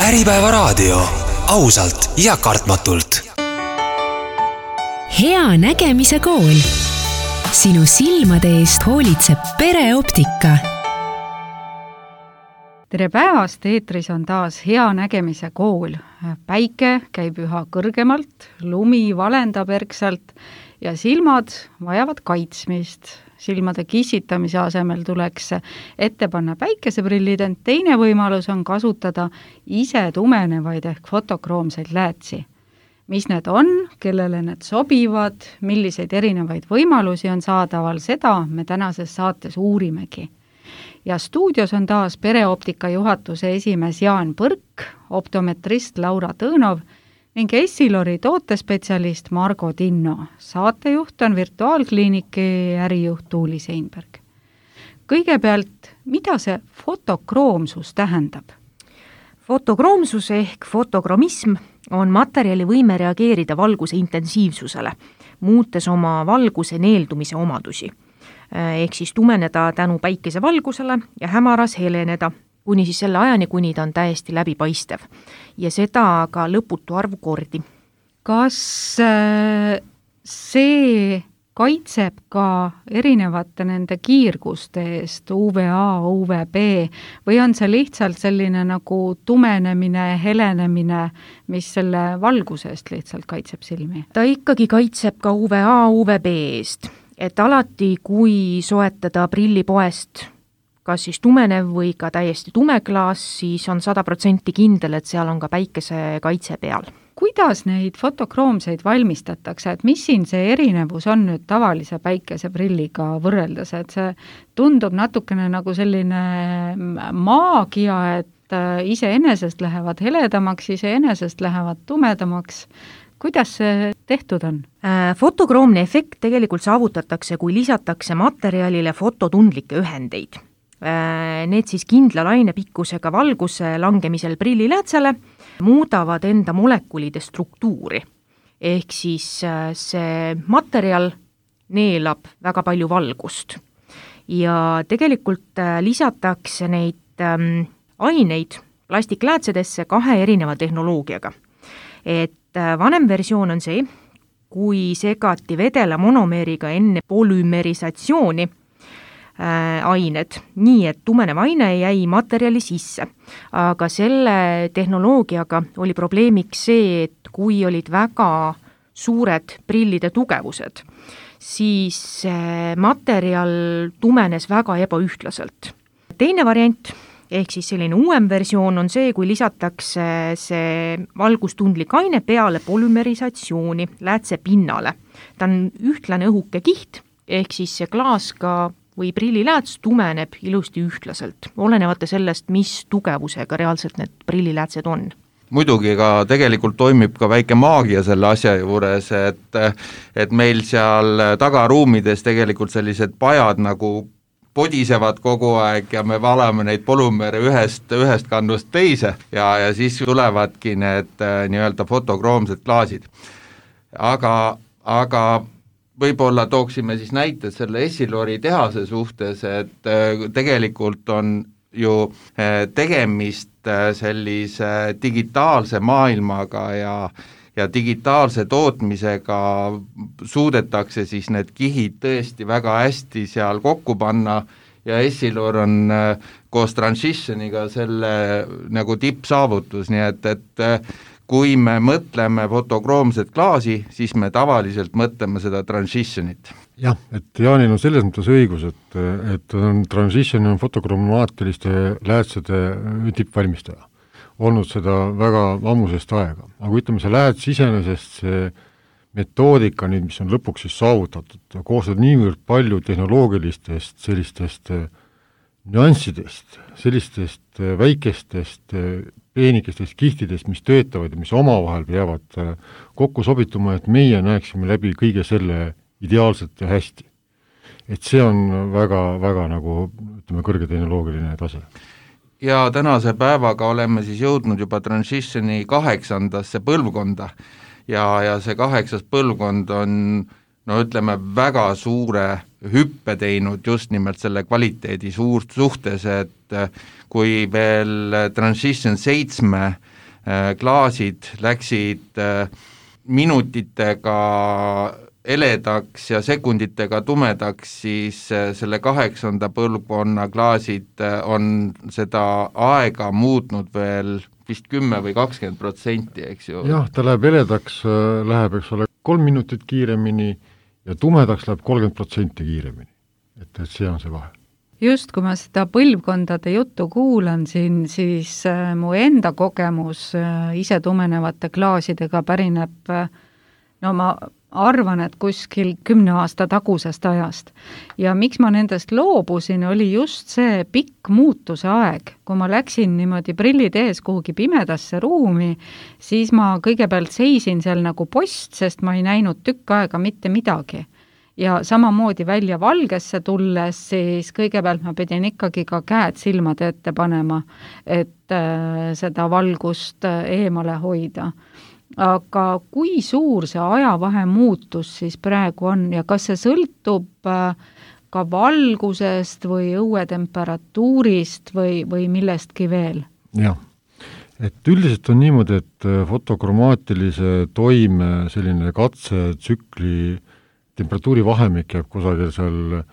Äripäevaraadio, ausalt ja kartmatult. Hea nägemise kool. Sinu silmade eest hoolitseb Pereoptika. Tere päevast, eetris on taas Hea nägemise kool. Päike käib üha kõrgemalt, lumi valendab erksalt ja silmad vajavad kaitsmist. Silmade kissitamise asemel tuleks ette panna päikeseprillid, ent teine võimalus on kasutada ise tumenevaid ehk fotokroomseid läätsi. Mis need on, kellele need sobivad, milliseid erinevaid võimalusi on saadaval, seda me tänases saates uurimegi. Ja stuudios on taas Pereoptika juhatuse esimees Jaan Põrk, optometrist Laura Tõõnov ning Essilori tootespetsialist Margo Tinno. Saatejuht on virtuaalkliiniki ärijuht Tuuli Seinberg. Kõigepealt, mida see fotokroomsus tähendab? Fotokroomsus ehk fotokromism on materjali võime reageerida valguse intensiivsusele, muutes oma valguse neeldumise omadusi. Ehk siis tumeneda tänu päikese valgusele ja hämaras heleneda, kuni siis selle ajani, kuni ta on täiesti läbipaistev. Ja seda ka lõputu arvu kordi. Kas see kaitseb ka erinevate nende kiirguste eest, UVA, UVB, või on see lihtsalt selline nagu tumenemine, helenemine, mis selle valguse eest lihtsalt kaitseb silmi? Ta ikkagi kaitseb ka UVA, UVB eest, et alati, kui soetada prillipoest, kas siis tumenev või ka täiesti tume klaas, siis on 100% kindel, et seal on ka päikese kaitse peal. Kuidas neid fotokroomseid valmistatakse, et mis siin see erinevus on nüüd tavalise päikeseprilliga võrreldes, et see tundub natukene nagu selline maagia, et iseenesest lähevad heledamaks, iseenesest lähevad tumedamaks. Kuidas see tehtud on? Fotokroomne efekt tegelikult saavutatakse, kui lisatakse materjalile fototundlikke ühendeid. Need siis kindla lainepikkusega valguse langemisel prilliläätsele muudavad enda molekulide struktuuri. Ehk siis see materjal neelab väga palju valgust. Ja tegelikult lisatakse neid aineid plastikläätsedesse 2 erineva tehnoloogiaga. Et vanem versioon on see, kui segati vedela monomeeriga enne polümerisatsiooni ained, nii et tumenev aine jäi materjali sisse. Aga selle tehnoloogiaga oli probleemiks see, et kui olid väga suured prillide tugevused, siis materjal tumenes väga ebaühtlaselt. Teine variant, ehk siis selline uuem versioon on see, kui lisatakse see valgustundlik aine peale polümerisatsiooni läätse pinnale. Ta on ühtlane õhuke kiht, ehk siis see klaas ka või prillilääts tumeneb ilusti ühtlaselt, olenevate sellest, mis tugevusega reaalselt need prilliläätsed on. Muidugi ka tegelikult toimib ka väike maagia selle asja juures, et meil seal tagaruumides tegelikult sellised pajad nagu podisevad kogu aeg ja me valame neid polümere ühest kannust teise ja siis tulevadki need nii-öelda fotokroomsed klaasid. Aga võib-olla tooksime siis näited selle Essilori tehase suhtes, et tegelikult on ju tegemist sellise digitaalse maailmaga ja digitaalse tootmisega suudetakse siis need kihid tõesti väga hästi seal kokku panna ja Essilor on koos Transitioniga selle nagu tippsaavutus, nii et kui me mõtleme fotokroomset klaasi, siis me tavaliselt mõtleme seda Transitionit. Jah, et Jaanil on selles mõttes õigus, et Transition on fotokromaatiliste läätsede tippvalmistaja. Olnud seda väga ammusest aega. Aga ütleme, see lääts iseenesest, see metoodika, nüüd, mis on lõpuks siis saavutatud, koostab niivõrd palju tehnoloogilistest sellistest nüanssidest, sellistest väikestest peenikestest kihtidest, mis töötavad ja mis omavahel peavad kokku sobituma, et meie näeksime läbi kõige selle ideaalselt ja hästi. Et see on väga, väga nagu, ütleme, kõrgetehnoloogiline tase. Ja tänase päevaga oleme siis jõudnud juba Transitioni 8. põlvkonda ja see 8. põlvkond on, no ütleme, väga suure hüppe teinud just nimelt selle kvaliteedi suhtes, et kui veel Transition 7 klaasid läksid minutitega heledaks ja sekunditega tumedaks, siis selle 8. põlvkonna klaasid on seda aega muutnud veel vist 10 või 20%, eks ju. Jah, ta läheb heledaks, läheb, eks ole, 3 minutit kiiremini ja tumedaks läheb 30% kiiremini. Et see on see vahe. Just, kui ma seda põlvkondade juttu kuulan siin, siis mu enda kogemus ise tumenevate klaasidega pärineb, no ma arvan, et kuskil 10 aasta tagusest ajast. Ja miks ma nendest loobusin, oli just see pikk muutuse aeg. Kui ma läksin niimoodi prillid ees kuhugi pimedasse ruumi, siis ma kõigepealt seisin seal nagu post, sest ma ei näinud tükk aega mitte midagi. Ja samamoodi välja valgesse tulles, siis kõigepealt ma pidin ikkagi ka käed silmade ette panema, et seda valgust eemale hoida. Aga kui suur see ajavahe muutus siis praegu on ja kas see sõltub ka valgusest või õuetemperatuurist või millestki veel? Jah, et üldiselt on niimoodi, et fotokromaatilise toime selline katsetsükli temperatuuri vahemik jääb kusagil seal,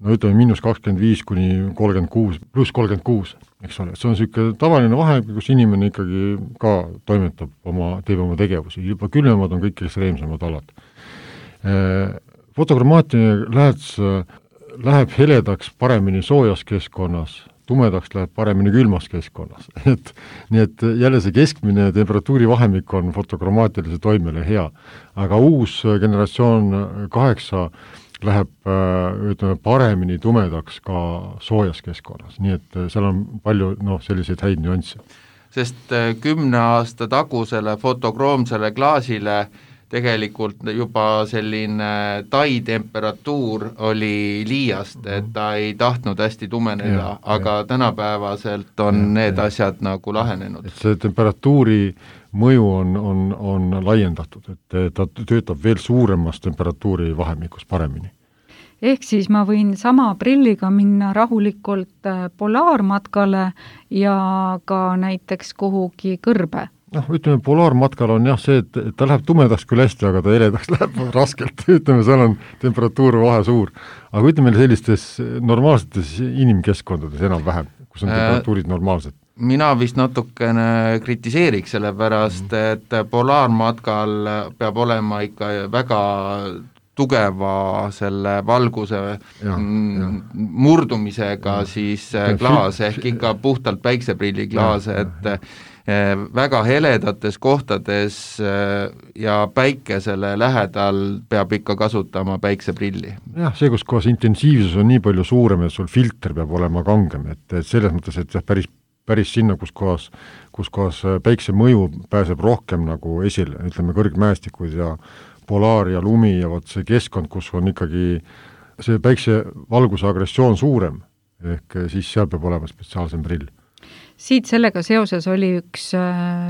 no ütleme, -25 kuni 36, pluss 36, eks ole. See on selline tavaline vahemik, kus inimene ikkagi ka toimetab teeb oma tegevusi. Juba külmemad on kõik ekstreemsemad alad. Fotokromaatiline lääts läheb heledaks paremini soojas keskkonnas, tumedaks läheb paremini külmas keskkonnas. Nii et jälle see keskmine temperatuuri vahemik on fotokromaatilise toimele hea. Aga uus generatsioon 8 läheb ütleme, paremini tumedaks ka soojas keskkonnas. Nii et seal on palju selliseid häid nüansse. Sest 10 aasta tagusele fotokroomsele klaasile tegelikult juba selline tai-temperatuur oli liiast, et ta ei tahtnud hästi tumeneda, aga tänapäevaselt on need asjad nagu lahenenud. Et see temperatuuri mõju on laiendatud, et ta töötab veel suuremas temperatuuri vahemikus paremini. Ehk siis ma võin sama prilliga minna rahulikult polaarmatkale ja ka näiteks kuhugi kõrbe. Ütleme, polaarmatkal on see, et ta läheb tumedaks küll hästi, aga ta heledaks läheb raskelt. Ütleme, seal on temperatuur vahe suur. Aga ütleme sellistes normaalsetes inimkeskkondades enam vähem, kus on temperatuurid normaalsed. Mina vist natukene kritiseeriks selle pärast, et polaarmatkal peab olema ikka väga tugeva selle valguse murdumisega siis klaas, ehk ikka puhtalt päikseprilli klaas, et väga heledates kohtades ja päikesele lähedal peab ikka kasutama päikseprilli. Jah, see, kus kohas intensiivsus on nii palju suurem, et sul filter peab olema kangem, et selles mõttes, et päris sinna, kus kohas päikse mõju pääseb rohkem nagu esile, ütleme kõrgmäestikud ja polaar ja lumi ja võt see keskkond, kus on ikkagi see päikse valguse agressioon suurem, ehk siis seal peab olema spetsiaalsem prill. Siit sellega seoses oli üks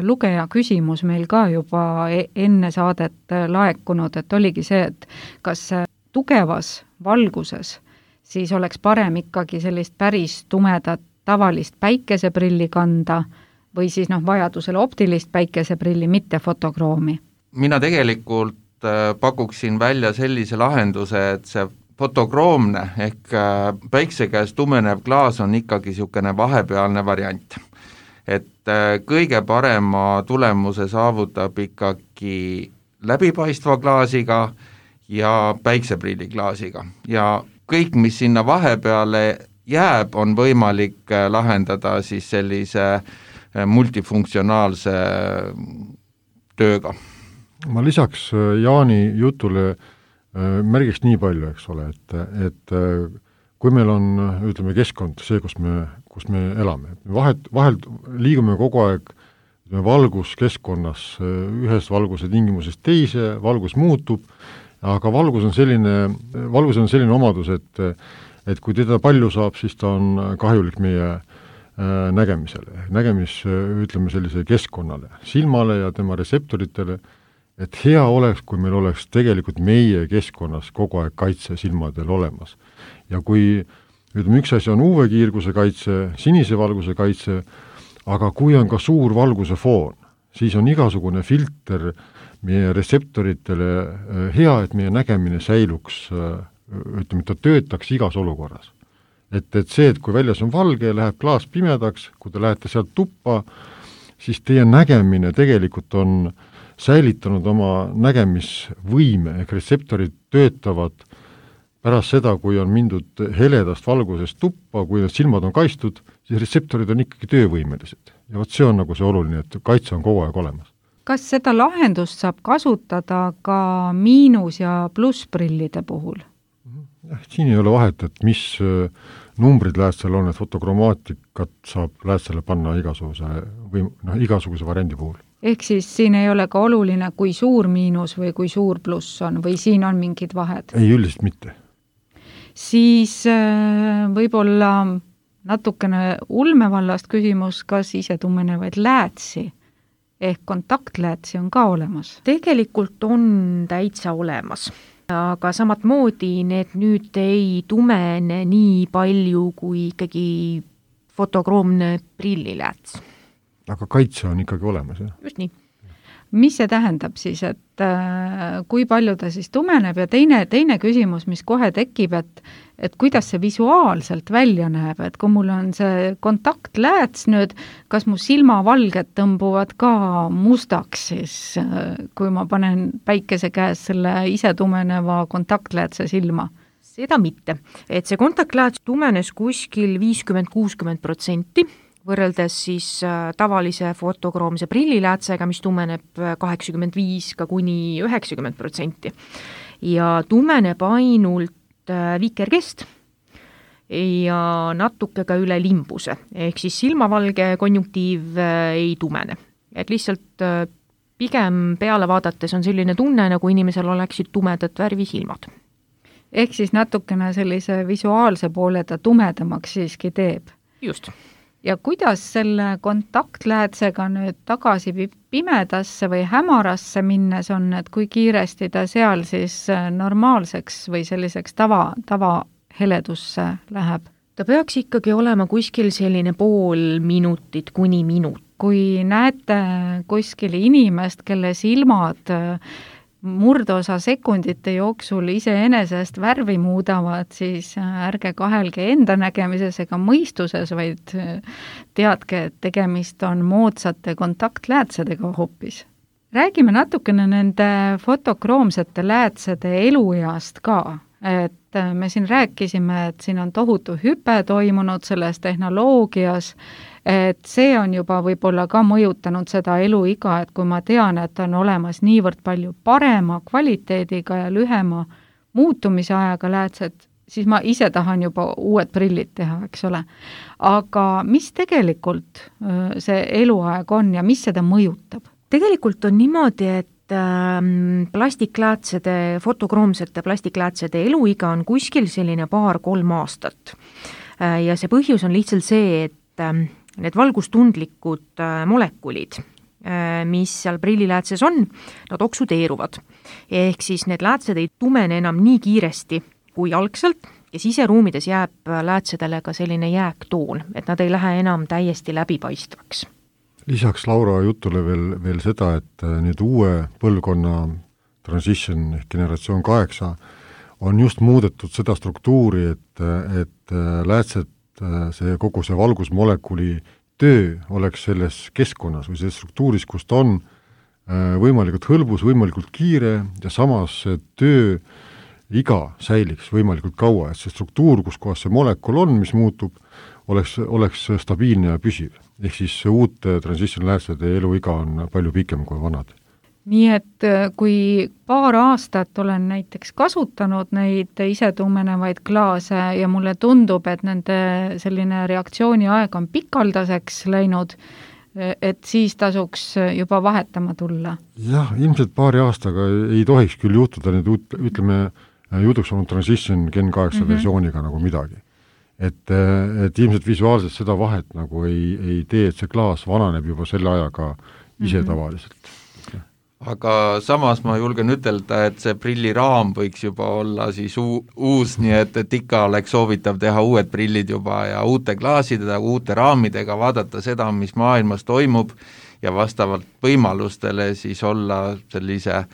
lugeja küsimus meil ka juba enne saadet laekunud, et oligi see, et kas tugevas valguses siis oleks parem ikkagi sellist päris tumedat tavalist päikeseprilli kanda või siis vajadusel optilist päikeseprilli, mitte fotokroomi? Mina tegelikult pakuksin välja sellise lahenduse, et see fotokroomne ehk päikse käes tumenev klaas on ikkagi niisugune vahepealne variant. Et kõige parema tulemuse saavutab ikkagi läbipaistva klaasiga ja päikseprilliklaasiga. Ja kõik, mis sinna vahepeale jääb, on võimalik lahendada siis sellise multifunktsionaalse tööga. Ma lisaks Jaani jutule märgiks nii palju, eks ole, et kui meil on, ütleme, keskkond, see, kus me elame, vahel liigume kogu aeg valguskeskkonnas ühest valguse tingimusest teise, valgus muutub, aga valgus on selline omadus, et kui teda palju saab, siis ta on kahjulik meie nägemisele, ütleme sellise keskkonnale, silmale ja tema reseptoritele, et hea oleks, kui meil oleks tegelikult meie keskkonnas kogu aeg kaitse silmadel olemas. Ja kui, ütleme, üks asi on UV-kiirguse kaitse, sinise valguse kaitse, aga kui on ka suur valguse foon, siis on igasugune filter meie retseptoritele hea, et meie nägemine säiluks, ütleme, ta töötaks igas olukorras. Et see, et kui väljas on valge ja läheb klaas pimedaks, kui te lähete sealt tuppa, siis teie nägemine tegelikult on säilitanud oma nägemisvõime, ehk retseptorid töötavad pärast seda, kui on mindud heledast valgusest tuppa, kui need silmad on kaitstud, siis retseptorid on ikkagi töövõimelised. Ja see on nagu see oluline, et kaitse on kogu aeg olemas. Kas seda lahendust saab kasutada ka miinus- ja plussprillide puhul? Siin ei ole vahet, et mis numbrid läätsel on, et fotokromaatikat saab läätsele panna igasuguse variandi puhul. Ehk siis siin ei ole ka oluline, kui suur miinus või kui suur pluss on, või siin on mingid vahed? Ei, üldiselt mitte. Siis võib-olla natukene ulmevallast küsimus, kas ise tumenevaid läätsi ehk kontaktläätsi on ka olemas? Tegelikult on täitsa olemas, aga samat moodi need nüüd ei tumene nii palju kui ikkagi fotokroomne prillilääts. Aga kaitse on ikkagi olemas, jah? Just nii. Mis see tähendab siis, et kui palju ta siis tumeneb ja teine küsimus, mis kohe tekib, et kuidas see visuaalselt välja näeb, et kui mul on see kontaktlääts nüüd, kas mu silmavalged tõmbuvad ka mustaks siis, kui ma panen päikese käes selle ise tumeneva kontaktläätse silma? Seda mitte, et see kontaktlääts tumenes kuskil 50-60%, võrreldes siis tavalise fotokroomse prilliläätsega, mis tumeneb 85 ka kuni 90%. Ja tumeneb ainult vikerkest ja natuke ka üle limbuse, ehk siis silmavalge konjunktiiv ei tumene. Et lihtsalt pigem peale vaadates on selline tunne, nagu inimesel oleksid tumedat värvi silmad. Ehk siis natukene sellise visuaalse poole ta tumedamaks siiski teeb. Just. Ja kuidas selle kontaktläätsega nüüd tagasi pimedasse või hämarasse minnes on, et kui kiiresti ta seal siis normaalseks või selliseks tava heledusse läheb? Ta peaks ikkagi olema kuskil selline pool minutit kuni minut. Kui näete kuskil inimest, kelle silmad murdosa sekundite jooksul iseenesest värvi muudavad, siis ärge kahelge enda nägemises ega mõistuses, vaid teadke, et tegemist on moodsate kontaktläätsedega hoopis. Räägime natukene nende fotokroomsete läätsede elueast ka, et me siin rääkisime, et siin on tohutu hüpe toimunud selles tehnoloogias, et see on juba võib-olla ka mõjutanud seda eluiga, et kui ma tean, et on olemas niivõrd palju parema kvaliteediga ja lühema muutumise ajaga läätsed, siis ma ise tahan juba uued prillid teha, eks ole. Aga mis tegelikult see eluaeg on ja mis seda mõjutab? Tegelikult on niimoodi, et plastikläätsede, fotokroomsete plastikläätsede eluiga on kuskil selline 2-3 aastat. Ja see põhjus on lihtsalt see, et need valgustundlikud molekulid, mis seal prilliläätses on, nad oksudeeruvad. Ehk siis need läätsed ei tumene enam nii kiiresti kui algselt ja siseruumides jääb läätsedele ka selline jääktoon, et nad ei lähe enam täiesti läbipaistvaks. Lisaks Laura jutule veel seda, et nüüd uue põlvkonna transition ehk generatsioon 8 on just muudetud seda struktuuri, et läätsed kogu see valgusmolekuli töö oleks selles keskkonnas või selles struktuuris, kus ta on võimalikult hõlbus, võimalikult kiire ja samas töö iga säiliks võimalikult kaua, et see struktuur, kus kohas see molekul on, mis muutub, oleks stabiilne ja püsiv. Ehk siis uute transition läätsede eluiga on palju pikem kui vanad. Nii et kui paar aastat olen näiteks kasutanud neid ise tumenevaid klaase ja mulle tundub, et nende selline reaktsiooni aeg on pikaldaseks läinud, et siis tasuks juba vahetama tulla? Jah, ilmselt paari aastaga ei tohiks küll juhtuda nüüd, ütleme, jutuks olnud transition Gen 8 versiooniga nagu midagi. Et ilmselt visuaalselt seda vahet nagu ei tee, et see klaas vananeb juba selle ajaga ise tavaliselt. aga samas ma julgen ütelda, et see prilliraam võiks juba olla siis uus, nii et ikka oleks soovitav teha uued prillid juba ja uute klaasidega, uute raamidega, vaadata seda, mis maailmas toimub ja vastavalt võimalustele siis olla sellise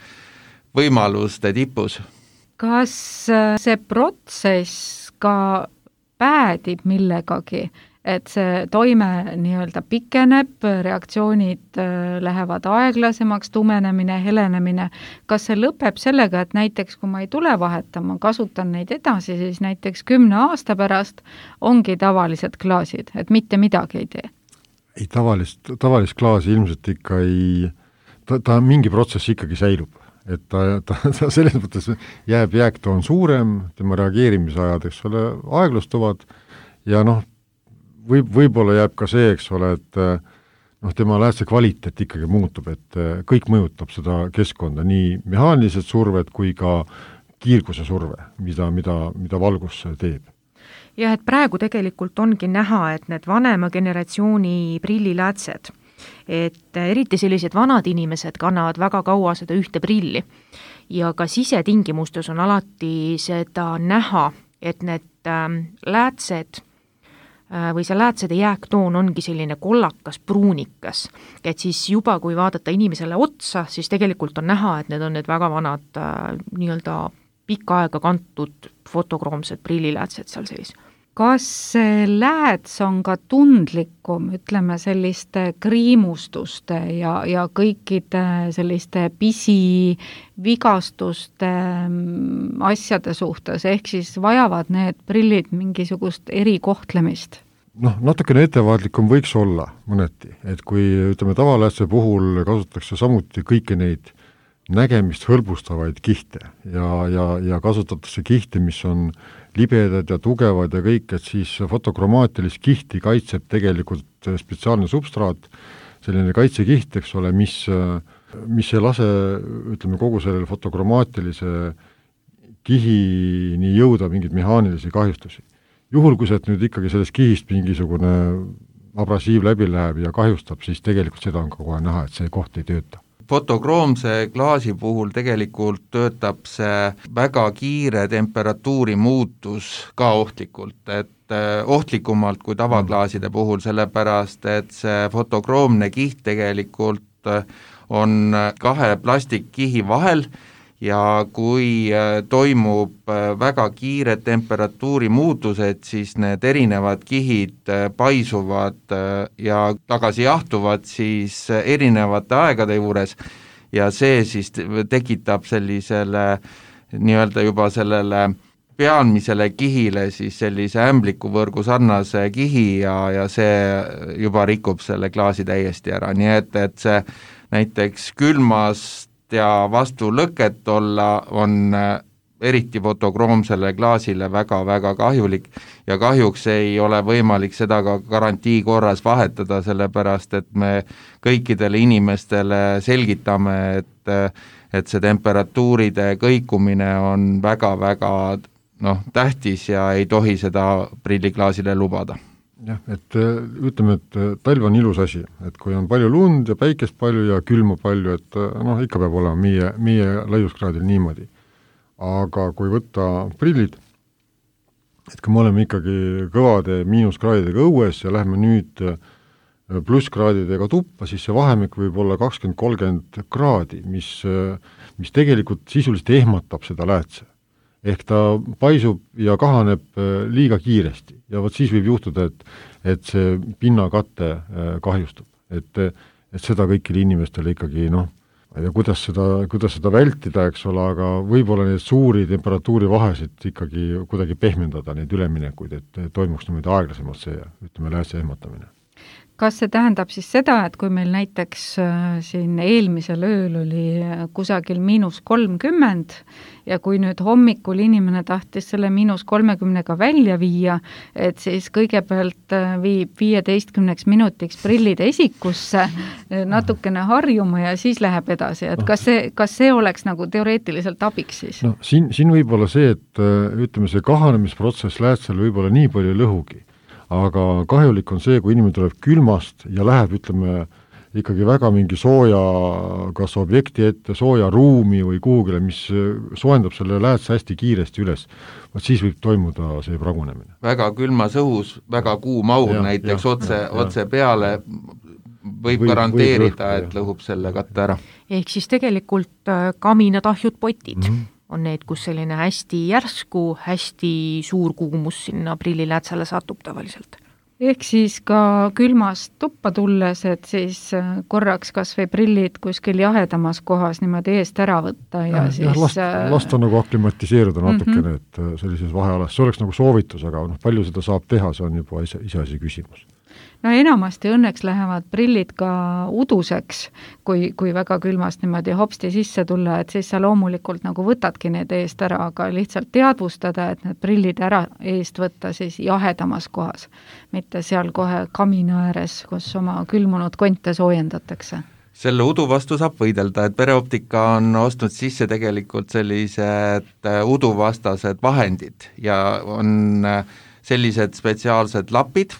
võimaluste tipus. Kas see protsess ka päädib millegagi, et see toime nii-öelda pikeneb, reaktsioonid lähevad aeglasemaks, tumenemine, helenemine, kas see lõpeb sellega, et näiteks kui ma ei tule vahetama, kasutan neid edasi, siis näiteks 10 aasta pärast ongi tavalised klaasid, et mitte midagi ei tee? Ei, tavalist klaasi ilmselt ikka ei, ta mingi protsess ikkagi säilub. Et ta selles mõttes jääb jääktoon suurem, tema reageerimisajad, eks ole, aeglustuvad ja võib-olla jääb ka see, eks ole, et tema läätse kvaliteet ikkagi muutub, et kõik mõjutab seda keskkonda, nii mehaanilised surved kui ka kiirguse surve, mida valgus teeb. Jah, et praegu tegelikult ongi näha, et need vanema generatsiooni prilliläätsed, et eriti sellised vanad inimesed kannavad väga kaua seda ühte prilli ja ka sisetingimustes on alati seda näha, et need läätsed või see läätsede jääktoon ongi selline kollakas, pruunikas, et siis juba kui vaadata inimesele otsa, siis tegelikult on näha, et need on need väga vanad nii-öelda pikka aega kantud fotokroomsed prilliläätsed seal sees. Kas see lääts on ka tundlikum, ütleme selliste kriimustuste ja kõikide selliste pisivigastuste asjade suhtes, ehk siis vajavad need prillid mingisugust erikohtlemist? Natukene ettevaatlikum võiks olla mõneti, et kui ütleme tavaläätse puhul kasutatakse samuti kõiki neid nägemist hõlbustavaid kihte ja kasutatakse kihte, mis on libedad ja tugevad ja kõik, et siis fotokromaatilist kihti kaitseb tegelikult spetsiaalne substraat, selline kaitsekiht, eks ole, mis ei lase, ütleme, kogu sellele fotokromaatilise kihini jõuda mingeid mehaanilisi kahjustusi. Juhul, kui sealt nüüd ikkagi sellest kihist mingisugune abrasiiv läbi läheb ja kahjustab, siis tegelikult seda on ka kohe näha, et see koht ei tööta. Fotokroomse klaasi puhul tegelikult töötab see väga kiire temperatuuri muutus ka ohtlikult, et ohtlikumalt kui tavaklaaside puhul, sellepärast et see fotokroomne kiht tegelikult on 2 plastikkihi vahel ja kui toimub väga kiired temperatuuri muutused, siis need erinevad kihid paisuvad ja tagasi jahtuvad siis erinevate aegade juures ja see siis tekitab sellisele nii-öelda juba sellele pealmisele kihile siis sellise ämblikuvõrgu sarnase kihi ja see juba rikub selle klaasi täiesti ära, nii et see näiteks külmast ja vastu lõket olla on eriti fotokroomsele klaasile väga-väga kahjulik ja kahjuks ei ole võimalik seda ka garantii korras vahetada, sellepärast et me kõikidele inimestele selgitame, et see temperatuuride kõikumine on väga-väga tähtis ja ei tohi seda prilliklaasile lubada. Jah, et ütleme, et talv on ilus asi, et kui on palju lund ja päikest palju ja külma palju, et ikka peab olema meie laiuskraadil niimoodi. Aga kui võtta prillid, et kui me oleme ikkagi kõvade miinuskraadidega õues ja lähme nüüd plusskraadidega tuppa, siis see vahemik võib olla 20-30 kraadi, mis tegelikult sisuliselt ehmatab seda läätse. Ehk ta paisub ja kahaneb liiga kiiresti ja vot siis võib juhtuda, et see pinnakatte kahjustub. Et seda kõikide inimestele ikkagi, kuidas seda vältida, eks ole, aga võib-olla need suuri temperatuuri vahesid ikkagi kuidagi pehmendada, neid üleminekuid, et toimuks niimoodi aeglasemalt see, ütleme, läätse ehmatamine. Kas see tähendab siis seda, et kui meil näiteks siin eelmisel ööl oli kusagil -30 ja kui nüüd hommikul inimene tahtis selle -30 välja viia, et siis kõigepealt viib 15 minutiks prillid esikusse, natukene harjuma ja siis läheb edasi, et kas see oleks nagu teoreetiliselt abiks siis? Siin võib olla see, et ütleme, see kahanemisprotsess läätsel võib olla nii palju lõhugi. Aga kahjulik on see, kui inimene tuleb külmast ja läheb, ütleme, ikkagi väga mingi sooja kas objekti ette, sooja ruumi või kuhugile, mis soojendab selle läätse hästi kiiresti üles, siis võib toimuda see pragunemine. Väga külmas õhus, väga kuum aur näiteks otse peale võib garanteerida, et lõhub selle katte ära. Ehk siis tegelikult kaminatahjud potid on need, kus selline hästi järsku, hästi suur kuumus sinna prilliläätsele satub tavaliselt. Ehk siis ka külmast tuppa tulles, et siis korraks kas või prillid kuskil jahedamas kohas niimoodi eest ära võtta ja siis... Lasta nagu aklimatiseeruda natukene, et sellises vahealas. See oleks nagu soovitus, aga palju seda saab teha, see on juba iseasi küsimus. No enamasti õnneks lähevad prillid ka uduseks, kui väga külmast niimoodi hopsti sisse tulla, et siis sa loomulikult nagu võtadki need eest ära, aga lihtsalt teadvustada, et need prillid ära eest võtta siis jahedamas kohas, mitte seal kohe kamina ääres, kus oma külmunud konte soojendatakse. Selle udu vastu saab võidelda, et Pereoptika on ostnud sisse tegelikult sellised uduvastased vahendid ja on sellised spetsiaalsed lapid,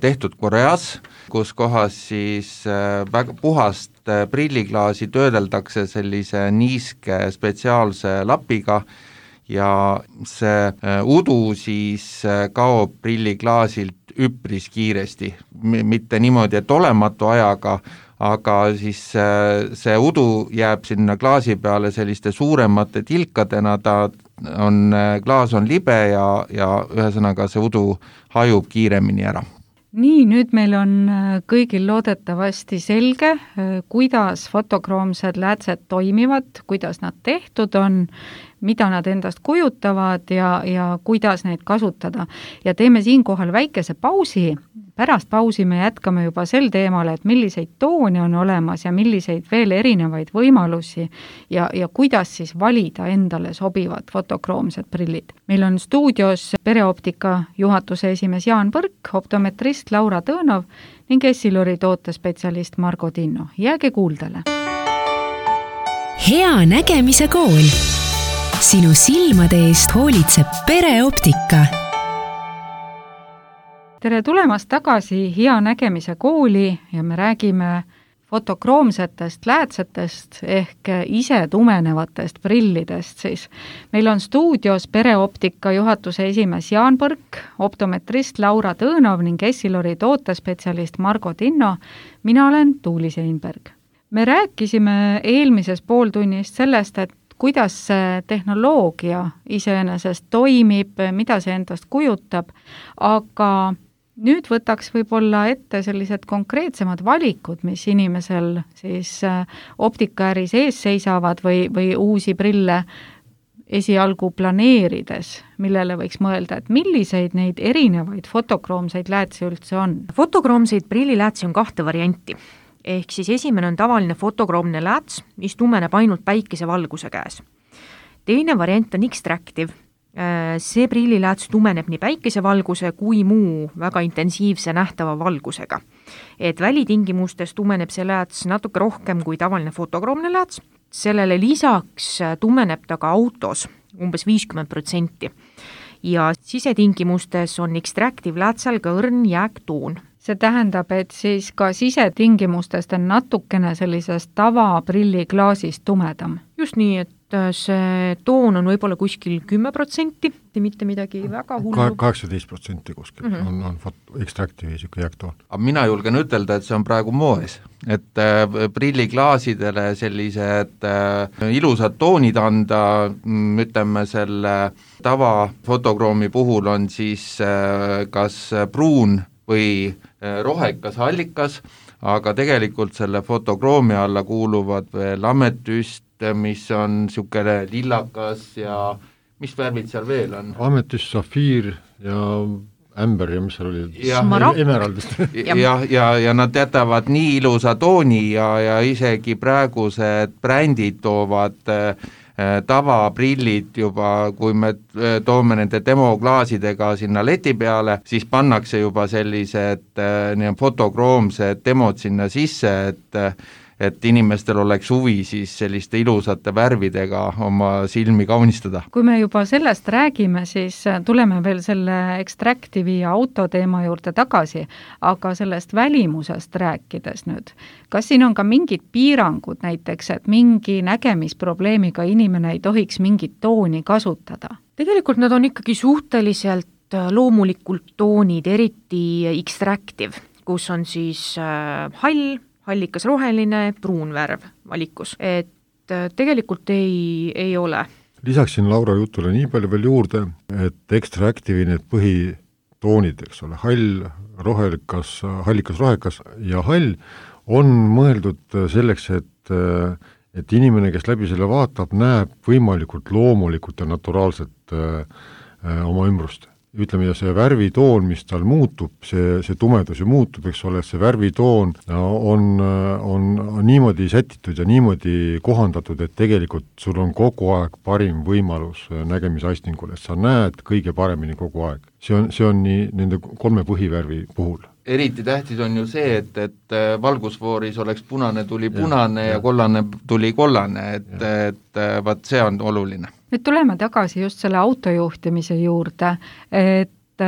tehtud Koreas, kus kohas siis väga puhast prilliklaasi töödeldakse sellise niiske spetsiaalse lapiga ja see udu siis kaob prilliklaasilt üpris kiiresti, mitte niimoodi, et olematu ajaga, aga siis see udu jääb sinna klaasi peale selliste suuremate tilkadena, klaas on libe ja ühesõnaga see udu hajub kiiremini ära. Nii, nüüd meil on kõigil loodetavasti selge, kuidas fotokroomsed läätsed toimivad, kuidas nad tehtud on, mida nad endast kujutavad ja kuidas neid kasutada. Ja teeme siinkohal väikese pausi. Pärast pausi me jätkame juba sel teemal, et milliseid toone on olemas ja milliseid veel erinevaid võimalusi ja kuidas siis valida endale sobivad fotokroomsed prillid. Meil on stuudios Pereoptika juhatuse esimees Jaan Põrk, optometrist Laura Tõõnov ning Essilori tootespetsialist Margo Tinno. Jääge kuuldele! Hea nägemise kool. Sinu silmade eest hoolitseb Pereoptika. Tere tulemast tagasi Hea nägemise kooli ja me räägime fotokroomsetest läätsetest ehk ise tumenevatest prillidest siis. Meil on stuudios Pereoptika juhatuse esimees Jaan Põrk, optometrist Laura Tõõnov ning Essilori tootespetsialist Margo Tinno. Mina olen Tuuli Seinberg. Me rääkisime eelmises pooltunnist sellest, et kuidas see tehnoloogia iseenesest toimib, mida see endast kujutab, aga nüüd võtaks võib-olla ette sellised konkreetsemad valikud, mis inimesel siis optikaäris ees seisavad või uusi prille esialgu planeerides, millele võiks mõelda, et milliseid neid erinevaid fotokroomseid läätsi üldse on? Fotokroomseid prilliläätsi on 2 varianti. Ehk siis esimene on tavaline fotokroomne lääts, mis tumeneb ainult päikesevalguse käes. Teine variant on X-Tractive. See prillilääts tumeneb nii päikesevalguse kui muu väga intensiivse nähtava valgusega. Et välitingimustes tumeneb see lääts natuke rohkem kui tavaline fotokroomne lääts. Sellele lisaks tumeneb ta ka autos umbes 50%. Ja sisetingimustes on X-Tractive läätsel ka õrn jääktoon. See tähendab, et siis ka sisetingimustest on natukene sellisest tavaprilliklaasist tumedam. Just nii, et see toon on võib-olla kuskil 10%, mitte midagi väga hullu. 18% kuskil on X-Tractive'i siuke jääktoon. Aga mina julgen ütelda, et see on praegu moes, et prilliklaasidele sellised ilusad toonid anda, ütleme selle tavafotokraami puhul on siis kas pruun või rohekas hallikas, aga tegelikult selle fotokroomi alla kuuluvad veel ametüst, mis on niisugune lillakas ja mis värvid seal veel on? Ametüst, safiir ja ämber ja mis seal oli? Emeraldist. ja nad jätavad nii ilusa tooni ja isegi praegused brändid toovad tavaprillid juba, kui me toome nende demoklaasidega sinna leti peale, siis pannakse juba sellised fotokroomsed demod sinna sisse, et inimestel oleks huvi siis selliste ilusate värvidega oma silmi kaunistada. Kui me juba sellest räägime, siis tuleme veel selle Extractive'i ja auto teema juurde tagasi, aga sellest välimusest rääkides nüüd, kas siin on ka mingid piirangud näiteks, et mingi nägemisprobleemiga inimene ei tohiks mingit tooni kasutada? Tegelikult nad on ikkagi suhteliselt loomulikult toonid, eriti Extractive, kus on siis hall, hallikas roheline, pruun värv valikus, et tegelikult ei ole. Lisaksin Laura jutule nii palju veel juurde, et Extractive'i need põhitoonid, eks ole, hall, rohelikas, hallikas, rohekas ja hall on mõeldud selleks, et inimene, kes läbi selle vaatab, näeb võimalikult loomulikult ja naturaalselt oma ümbrust. Ütleme, ja see värvitoon, mis tal muutub, see tumedus ju muutub, eks ole, see värvitoon on niimoodi sätitud ja niimoodi kohandatud, et tegelikult sul on kogu aeg parim võimalus nägemisaistingul, et sa näed kõige paremini kogu aeg. See on nii nende 3 põhivärvi puhul. Eriti tähtis on ju see, et valgusfooris oleks punane tuli punane ja kollane tuli kollane, et vaat see on oluline. Nüüd tuleme tagasi just selle autojuhtimise juurde, et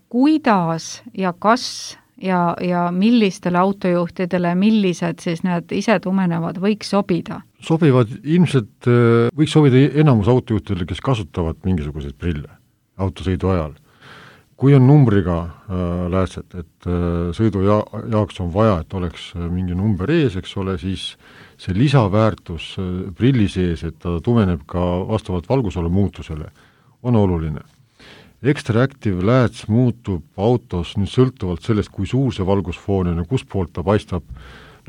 kuidas ja kas ja millistele autojuhtidele, millised siis need isetumenevad võiks sobida? Sobivad ilmselt, võiks sobida enamus autojuhtidele, kes kasutavad mingisuguseid prille autosõidu ajal. Kui on numbriga läätsed, et sõidu jaoks on vaja, et oleks mingi number ees, eks ole, siis see lisaväärtus prilli sees, et ta tumeneb ka vastavalt valgusole muutusele, on oluline. Extractive lääts muutub autos nüüd sõltuvalt sellest, kui suur see valgusfoon on ja kus poolt ta paistab,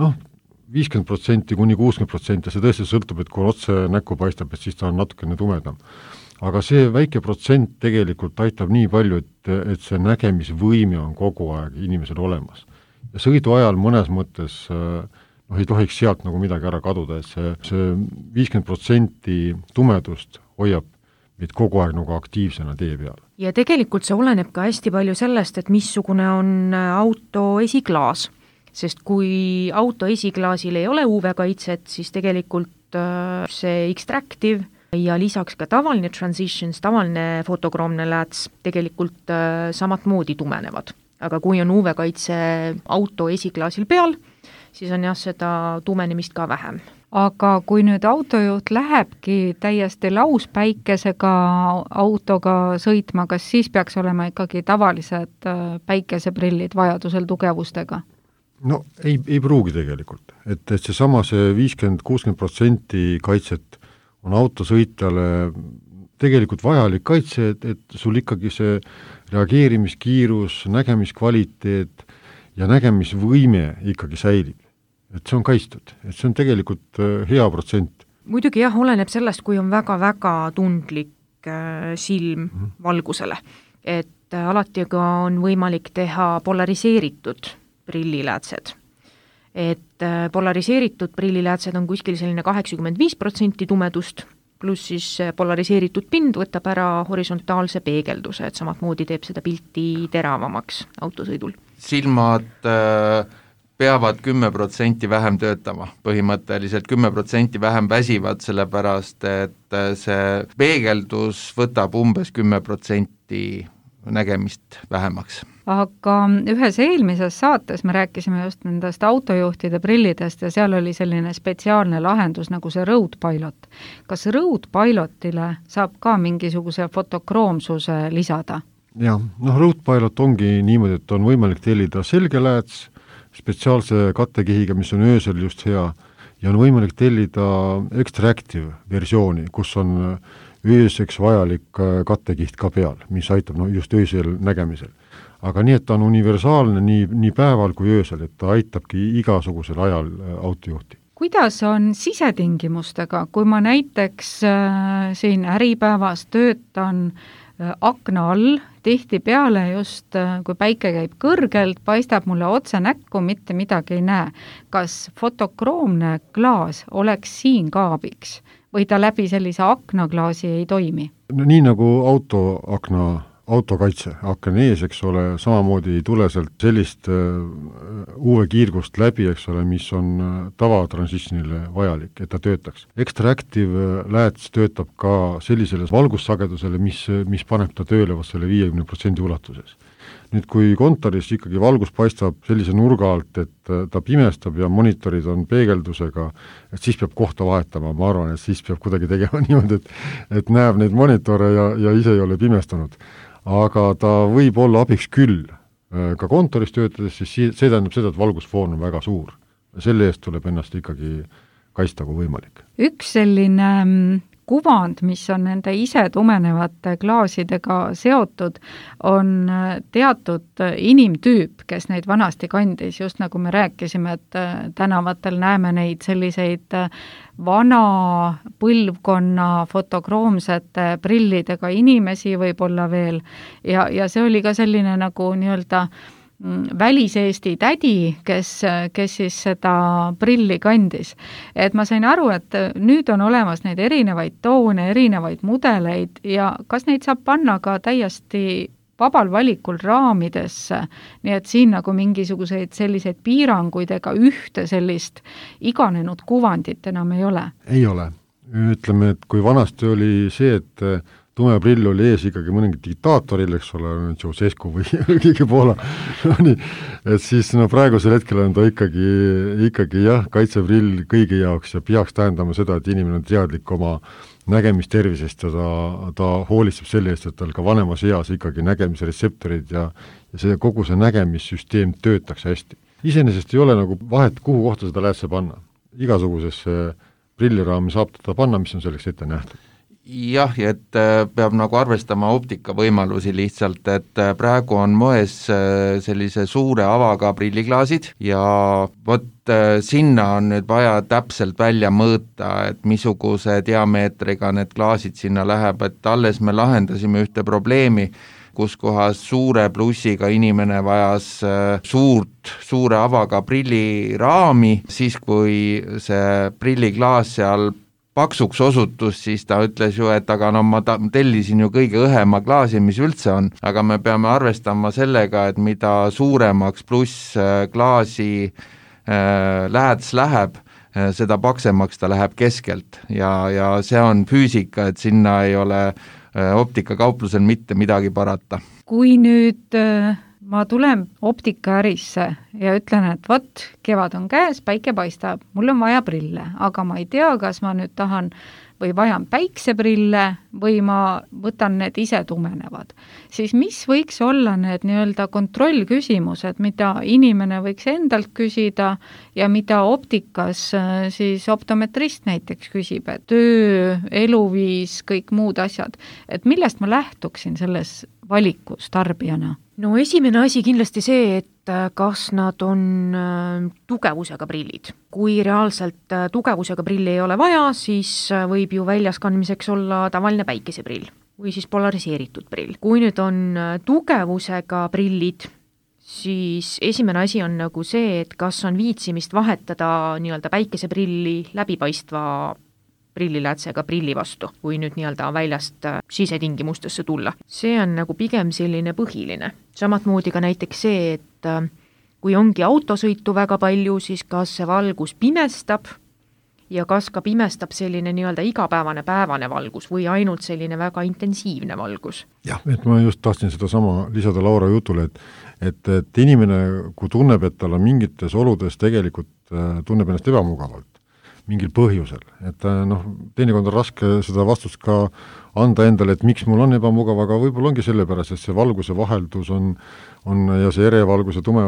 50% kuni 60%, see tõesti sõltub, et kui otse näkku paistab, et siis ta on natukene tumedam. Aga see väike protsent tegelikult aitab nii palju, et see nägemisvõime on kogu aeg inimesel olemas. Ja sõidu ajal mõnes mõttes ei tohiks sealt nagu midagi ära kaduda, et see 50% tumedust hoiab meid kogu aeg nagu aktiivsena tee peal. Ja tegelikult see oleneb ka hästi palju sellest, et missugune on auto esiklaas, sest kui auto esiklaasil ei ole UV-kaitset, siis tegelikult see Extractive ja lisaks ka tavaline Transitions, tavaline fotokroomne lääts tegelikult samat moodi tumenevad. Aga kui on UV-kaitse auto esiklaasil peal, siis on seda tumenemist ka vähem. Aga kui nüüd autojuht lähebki täiesti lauspäikesega autoga sõitma, kas siis peaks olema ikkagi tavalised päikeseprillid vajadusel tugevustega? No ei pruugi tegelikult, et see 50-60% kaitset on autosõitjale tegelikult vajalik kaitse, et sul ikkagi see reageerimiskiirus, nägemiskvaliteet ja nägemisvõime ikkagi säilib. Et see on kaitstud, et see on tegelikult hea protsent. Muidugi jah, oleneb sellest, kui on väga-väga tundlik silm valgusele, et alati ka on võimalik teha polariseeritud prilliläätsed. Et polariseeritud prilliläätsed on kuskil selline 85% tumedust, pluss siis polariseeritud pind võtab ära horisontaalse peegelduse, et samat moodi teeb seda pilti teravamaks autosõidul. Silmad peavad 10% vähem töötama, põhimõtteliselt 10% vähem väsivad, sellepärast et see peegeldus võtab umbes 10% nägemist vähemaks. Aga ühes eelmises saates me rääkisime just nendest autojuhtide prillidest ja seal oli selline spetsiaalne lahendus nagu see Road Pilot. Kas Road Pilotile saab ka mingisuguse fotokroomsuse lisada? Jah, Road Pilot ongi niimoodi, et on võimalik tellida selge lääts, spetsiaalse kattekihiga, mis on öösel just hea, ja on võimalik tellida Extractive versiooni, kus on ööseks vajalik kattekiht ka peal, mis aitab just öösel nägemisel. Aga nii, et ta on universaalne nii päeval kui öösel, et ta aitabki igasugusel ajal autojuhti. Kuidas on sisetingimustega, kui ma näiteks siin Äripäevas töötan akna all, tihtipeale just, kui päike käib kõrgelt, paistab mulle otse näkku, mitte midagi ei näe. Kas fotokroomne klaas oleks siin ka abiks või ta läbi sellise aknaklaasi ei toimi? No, nii nagu autoakna autokaitse, aken ees, eks ole, samamoodi ei tule sealt sellist UV-kiirgust läbi, eks ole, mis on tavatransitionile vajalik, et ta töötaks. Extractive lääts töötab ka sellisele valgussagedusele, mis paneb ta tööle vast selle 50% ulatuses. Nüüd, kui kontoris ikkagi valgus paistab sellise nurga alt, et ta pimestab ja monitorid on peegeldusega, et siis peab kohta vahetama, ma arvan, et siis peab kuidagi tegema niimoodi, et näeb neid monitore ja ise ei ole pimestanud. Aga ta võib olla abiks küll. Ka kontoris töötades, siis see tähendab seda, et valgusfoon on väga suur. Selle eest tuleb ennast ikkagi kaitsta kui võimalik. Üks selline kuvand, mis on nende ise tumenevate klaasidega seotud, on teatud inimtüüp, kes neid vanasti kandis, just nagu me rääkisime, et tänavatel näeme neid selliseid vana põlvkonna fotokroomsete prillidega inimesi võib-olla veel ja see oli ka selline nagu nii-öelda väliseesti tädi, kes siis seda prilli kandis. Et ma sain aru, et nüüd on olemas neid erinevaid toone, erinevaid mudeleid ja kas neid saab panna ka täiesti vabal valikul raamidesse, nii et siin nagu mingisuguseid selliseid piiranguid ega ühte sellist iganenud kuvandit enam ei ole? Ei ole. Ütleme, et kui vanasti oli see, et tume prill oli ees ikkagi mõningi diktaatoril, eks ole, Ceausescu või keegi Poola, et siis praegusel hetkel on ta ikkagi jah, kaitseprill kõigi jaoks ja peaks tähendama seda, et inimene on teadlik oma nägemistervisest ja ta hoolitseb selle eest, et tal ka vanemas eas ikkagi nägemise retseptorid ja see kogu see nägemissüsteem töötaks hästi. Iseenesest ei ole nagu vahet, kuhu kohta seda läätse panna. Igasugusesse prilliraami saab teda panna, mis on selleks ette nähtud. Jah, et peab nagu arvestama optika võimalusi lihtsalt, et praegu on moes sellise suure avaga prilliklaasid ja vot sinna on nüüd vaja täpselt välja mõõta, et missuguse diameetriga need klaasid sinna läheb, et alles me lahendasime ühte probleemi, kus kohas suure plussiga inimene vajas suure avaga prilliraami, siis kui see prilliklaas seal paksuks osutus, siis ta ütles ju, et aga no ma tellisin ju kõige õhema klaasi, mis üldse on, aga me peame arvestama sellega, et mida suuremaks pluss klaasi lähets läheb, seda paksemaks ta läheb keskelt ja see on füüsika, et sinna ei ole optikakauplusel mitte midagi parata. Kui nüüd ma tulen optikaärisse ja ütlen, et vot, kevad on käes, päike paistab, mul on vaja prille, aga ma ei tea, kas ma nüüd tahan või vajan päikseprille või ma võtan need ise tumenevad. Siis mis võiks olla need nii-öelda kontrollküsimused, mida inimene võiks endalt küsida ja mida optikas siis optometrist näiteks küsib, et töö, eluviis, kõik muud asjad. Et millest ma lähtuksin selles valikus tarbijana? No esimene asi kindlasti see, et kas nad on tugevusega prillid. Kui reaalselt tugevusega prilli ei ole vaja, siis võib ju väljas kandmiseks olla tavaline päikeseprill või siis polariseeritud prill. Kui nüüd on tugevusega prillid, siis esimene asi on nagu see, et kas on viitsimist vahetada nii-öelda päikeseprilli läbipaistva prilliläätsega prilli vastu, kui nüüd nii-öelda väljast sisetingimustesse tulla. See on nagu pigem selline põhiline. Samatmoodi ka näiteks see, et kui ongi autosõitu väga palju, siis kas see valgus pimestab ja kas ka pimestab selline nii-öelda päevane valgus või ainult selline väga intensiivne valgus. Jah, et ma just tahtsin seda sama lisada Laura jutule, et inimene, kui tunneb, et tal on mingites oludes tegelikult tunneb ennast ebamugavalt, mingil põhjusel, et teinekord on raske seda vastust ka anda endale, et miks mul on ebamugav, aga võib-olla ongi sellepärast, et see valguse vaheldus on ja see erevalguse tume,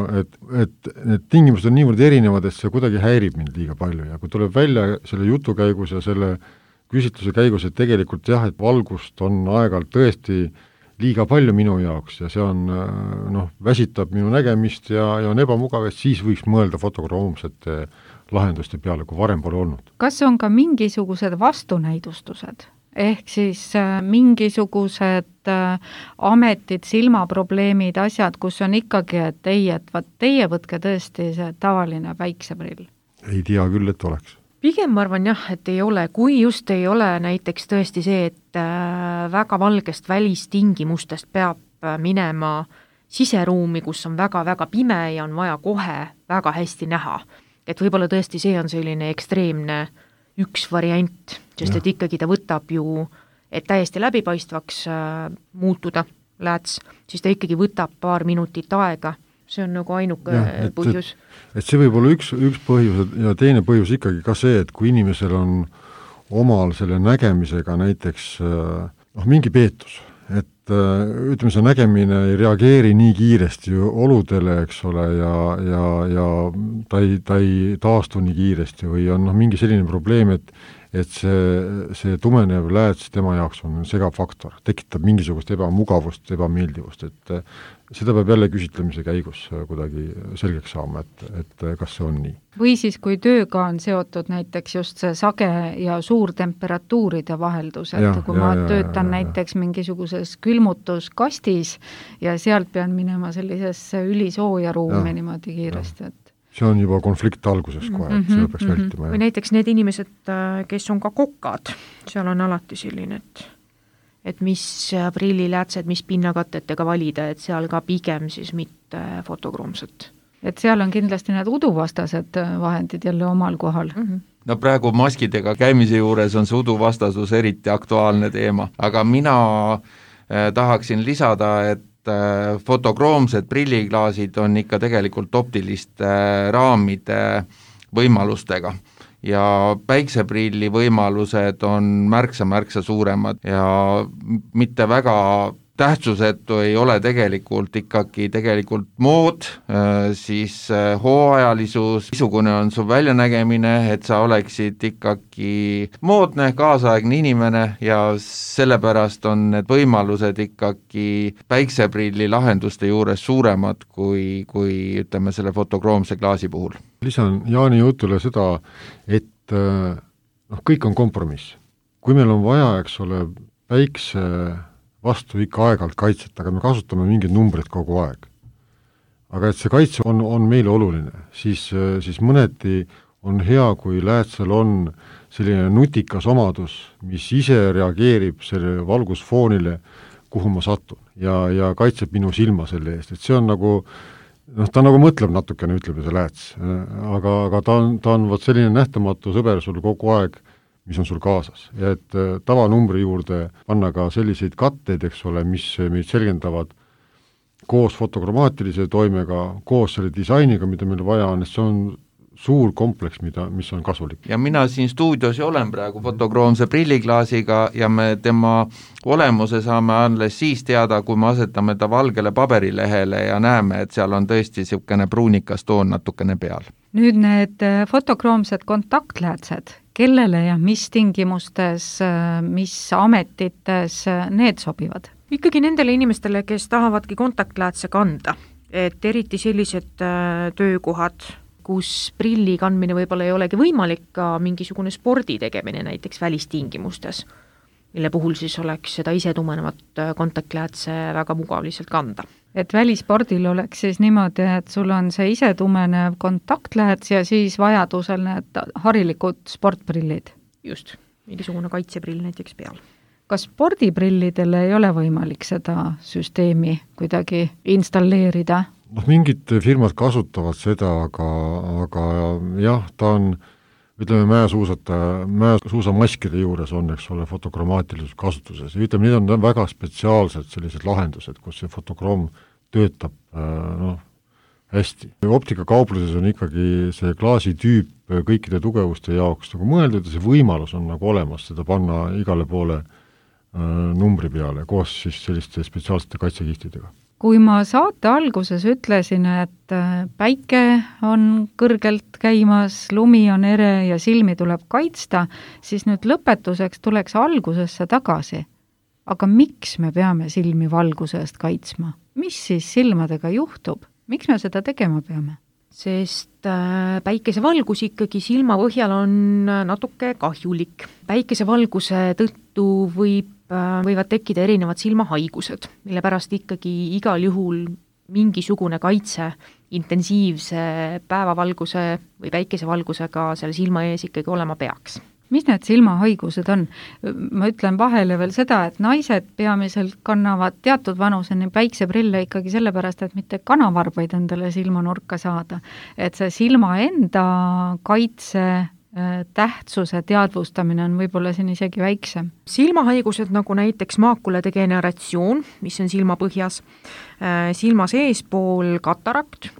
et need tingimused on niivõrd erinevad, et see kuidagi häirib mind liiga palju ja kui tuleb välja selle jutu käigus ja selle küsitluse käigus, et tegelikult jah, et valgust on aeg-ajalt tõesti liiga palju minu jaoks ja see on, väsitab minu nägemist ja on ebamugav, et siis võiks mõelda fotokroomsete lahenduste peale, kui varem pole olnud. Kas on ka mingisugused vastunäidustused? Ehk siis mingisugused ametid, silmaprobleemid, asjad, kus on ikkagi, et ei, et teie võtke tõesti see tavaline päikseprill? Ei tea küll, et oleks. Pigem ma arvan jah, et ei ole, kui just ei ole näiteks tõesti see, et väga valgest välistingimustest peab minema siseruumi, kus on väga-väga pime ja on vaja kohe väga hästi näha. Et võib-olla tõesti see on selline ekstreemne üks variant, sest et ikkagi ta võtab ju, et täiesti läbipaistvaks muutuda lääts, siis ta ikkagi võtab paar minutit aega. See on nagu ainuke põhjus. Et see võib olla üks põhjus ja teine põhjus ikkagi ka see, et kui inimesel on omal selle nägemisega näiteks mingi peetus, et ütleme, see nägemine ei reageeri nii kiiresti oludele, eks ole, ja ta ei taastu nii kiiresti või on mingi selline probleem, et see tumenev lääts tema jaoks on segav faktor, tekitab mingisugust ebamugavust, ebameeldivust, et seda peab jälle küsitlemise käigus kuidagi selgeks saama, et kas see on nii. Või siis, kui tööga on seotud näiteks just see sage ja suur temperatuuride vaheldus, et kui ma töötan näiteks mingisuguses külmutuskastis ja sealt pean minema sellisesse ülisooja ruumi niimoodi kiiresti, et see on juba konflikt alguses kohe, et seda peaks vältima. Või näiteks need inimesed, kes on ka kokad, seal on alati selline, et mis prilliläätsed, mis pinnakatetega valida, et seal ka pigem siis mitte fotokroomset. Et seal on kindlasti need uduvastased vahendid jälle omal kohal. No praegu maskidega käimise juures on see uduvastasus eriti aktuaalne teema, aga mina tahaksin lisada, et fotokroomsed prilliklaasid on ikka tegelikult optiliste raamide võimalustega ja päikseprilli võimalused on märksa suuremad ja mitte väga tähtsusetu ei ole tegelikult mood, siis hooajalisus, missugune on su väljanägemine, et sa oleksid ikkagi moodne, kaasaegne inimene ja sellepärast on need võimalused ikkagi päikseprilli lahenduste juures suuremad kui ütleme selle fotokroomse klaasi puhul. Lisan Jaani jutule seda, et kõik on kompromiss. Kui meil on vaja, eks ole, päikse vastu ikka aeg-ajalt kaitset, aga me kasutame mingid numbrid kogu aeg. Aga et see kaitse on meile oluline, siis mõneti on hea, kui läätsel on selline nutikas omadus, mis ise reageerib selle valgusfoonile, kuhu ma satun ja kaitseb minu silma selle eest, et see on nagu ta nagu mõtleb natukene, ütleb see lääts, aga ta on vot selline nähtamatu sõber sul kogu aeg, mis on sul kaasas ja et tavanumbri juurde panna ka selliseid katteid, eks ole, mis meid selgendavad koos fotokroomaatilise toimega, koos selle disainiga, mida meil vaja on, et see on suur kompleks, mis on kasulik. Ja mina siin stuudios olen praegu fotokroomse prilliklaasiga ja me tema olemuse saame alles siis teada, kui me asetame ta valgele paberilehele ja näeme, et seal on tõesti niisugune pruunikas toon natukene peal. Nüüd need fotokroomsed kontaktläätsed, kellele ja mis tingimustes, mis ametites need sobivad? Ikkagi nendele inimestele, kes tahavadki kontaktläätse kanda, et eriti sellised töökohad, kus prilli kandmine võib-olla ei olegi võimalik, ka mingisugune spordi tegemine näiteks välistingimustes, mille puhul siis oleks seda ise tumenevat kontaktläätse väga mugav lihtsalt kanda. Et välispordil oleks siis niimoodi, et sul on see ise tumenev kontaktlääts ja siis vajadusel need harilikud sportprillid. Just, mingisugune kaitseprill näiteks peal. Kas spordiprillidele ei ole võimalik seda süsteemi kuidagi installeerida? Mingid firmad kasutavad seda, aga jah, ta on, ütleme, mäesuusamaskide juures on, eks ole, fotokromaatilisus kasutuses. Ja ütleme, need on väga spetsiaalsed sellised lahendused, kus see fotokroom töötab hästi. Optikakaupluses on ikkagi see klaasitüüp kõikide tugevuste jaoks nagu mõeldud ja see võimalus on nagu olemas seda panna igale poole numbri peale koos siis selliste spetsiaalsete kaitsekihtidega. Kui ma saate alguses ütlesin, et päike on kõrgelt käimas, lumi on ere ja silmi tuleb kaitsta, siis nüüd lõpetuseks tuleks algusesse tagasi. Aga miks me peame silmi valguse eest kaitsma? Mis siis silmadega juhtub? Miks me seda tegema peame? Sest päikesevalgus ikkagi silma põhjal on natuke kahjulik. Päikesevalguse tõttu võivad tekkida erinevad silmahaigused, mille pärast ikkagi igal juhul mingisugune kaitse intensiivse päevavalguse või päikesevalgusega selle silma ees ikkagi olema peaks. mis need silmahaigused on? Ma ütlen vahele veel seda, et naised peamiselt kannavad teatud vanuseni päikseprille ikkagi sellepärast, et mitte kanavarbaid endale silmanurka saada. Et see silma enda kaitse tähtsuse teadvustamine on võib-olla siin isegi väiksem. Silmahaigused nagu näiteks maakuladegeneratsioon, mis on silmapõhjas, silma seespool katarakt,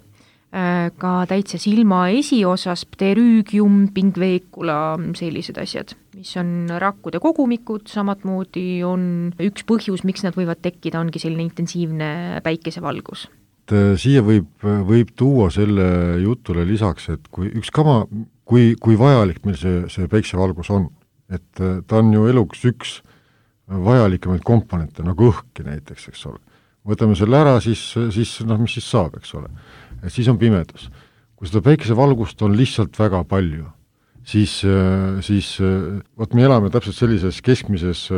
ka täitsa silma esiosas pterüügium, pingveekula, sellised asjad, mis on rakkude kogumikud, samatmoodi on üks põhjus, miks nad võivad tekkida, ongi selline intensiivne päikesevalgus. Siia võib tuua selle jutule lisaks, et kui vajalik meil see päiksevalgus on, et ta on ju eluks üks vajalikemaid komponente, nagu õhki näiteks, eks ole. Võtame selle ära, siis mis siis saab, eks ole. Et siis on pimedus. Kui seda päikesevalgust on lihtsalt väga palju, siis võt me elame täpselt sellises keskmises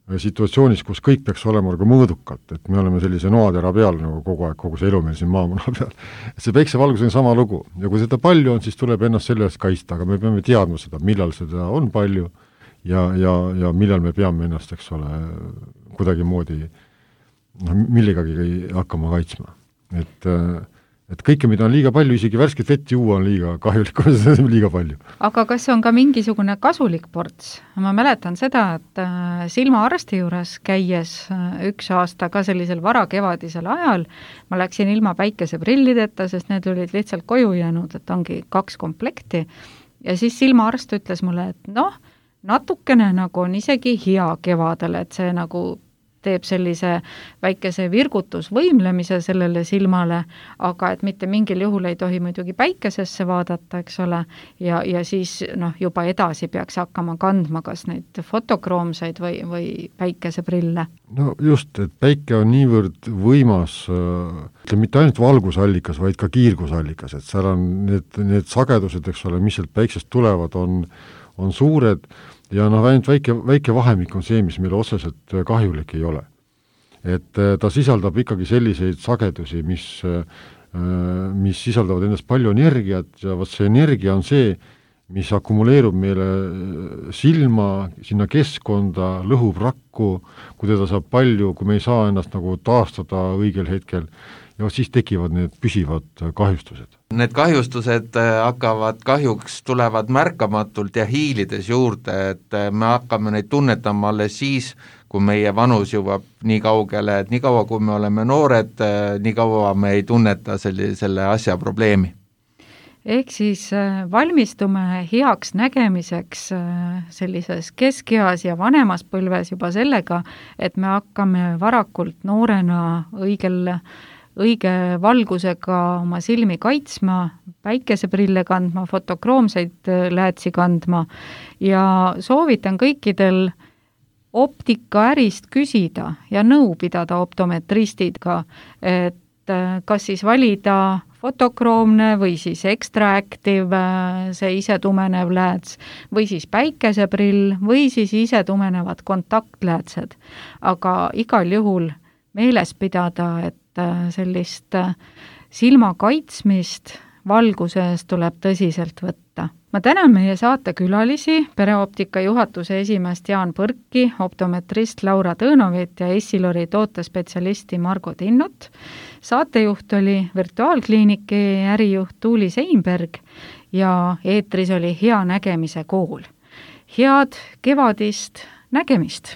situatsioonis, kus kõik peaks olema nagu mõõdukalt, et me oleme sellise noatera peal nagu kogu aeg, kogu see elu meil siin maamuna peal. Et see päikesevalgus on sama lugu ja kui seda palju on, siis tuleb ennast selle eest kaitsta, aga me peame teadma seda, millal seda on palju ja millal me peame ennast, eks ole, kuidagi moodi millegagi hakkama kaitsma. Et kõike, mida on liiga palju, isegi värsket vett juua on liiga kahjulik, seda on liiga palju. Aga kas on ka mingisugune kasulik ports? Ma mäletan seda, et silmaarsti juures käies üks aasta ka sellisel varakevadisel ajal, ma läksin ilma päikeseprillideta, sest need olid lihtsalt koju jäänud, et ongi 2 komplekti. Ja siis silmaarst ütles mulle, et natukene nagu on isegi hea kevadel, et see nagu teeb sellise väikese virgutusvõimlemise sellele silmale, aga et mitte mingil juhul ei tohi muidugi päikesesse vaadata, eks ole, ja siis juba edasi peaks hakkama kandma kas neid fotokroomseid või päikeseprille. No just, et päike on niivõrd võimas, mitte ainult valgusallikas, vaid ka kiirgusallikas, et seal on need sagedused, eks ole, mis sealt päiksest tulevad, on suured, ja ainult väike vahemik on see, mis meile otseselt kahjulik ei ole. Et ta sisaldab ikkagi selliseid sagedusi, mis sisaldavad endast palju energiat ja see energia on see, mis akumuleerub meile silma, sinna keskkonda, lõhub rakku, kui teda saab palju, kui me ei saa ennast nagu taastada õigel hetkel, ja siis tekivad need püsivad kahjustused. Need kahjustused kahjuks tulevad märkamatult ja hiilides juurde, et me hakkame neid tunnetama alles siis, kui meie vanus jõuab nii kaugele, et nii kaua, kui me oleme noored, nii kaua me ei tunneta selle asja probleemi. Ehk siis valmistume heaks nägemiseks sellises keskeas ja vanemas põlves juba sellega, et me hakkame varakult noorena õige valgusega oma silmi kaitsma, päikeseprille kandma, fotokroomseid läätsi kandma ja soovitan kõikidel optikaärist küsida ja nõu pidada optometristidega, et kas siis valida fotokroomne või siis extra active, see ise tumenev lääts, või siis päikeseprill või siis ise tumenevad kontaktläätsed. Aga igal juhul meeles pidada, et sellist silma kaitsmist valguse eest tuleb tõsiselt võtta. Ma tänan meie saatekülalisi, Pereoptika juhatuse esimeest Jaan Põrki, optometrist Laura Tõnovit ja Essilori tootespetsialisti Margo Tinnut. Saatejuht oli Virtuaalkliiniki ärijuht Tuuli Seinberg ja eetris oli Hea nägemise kool. Head kevadist nägemist!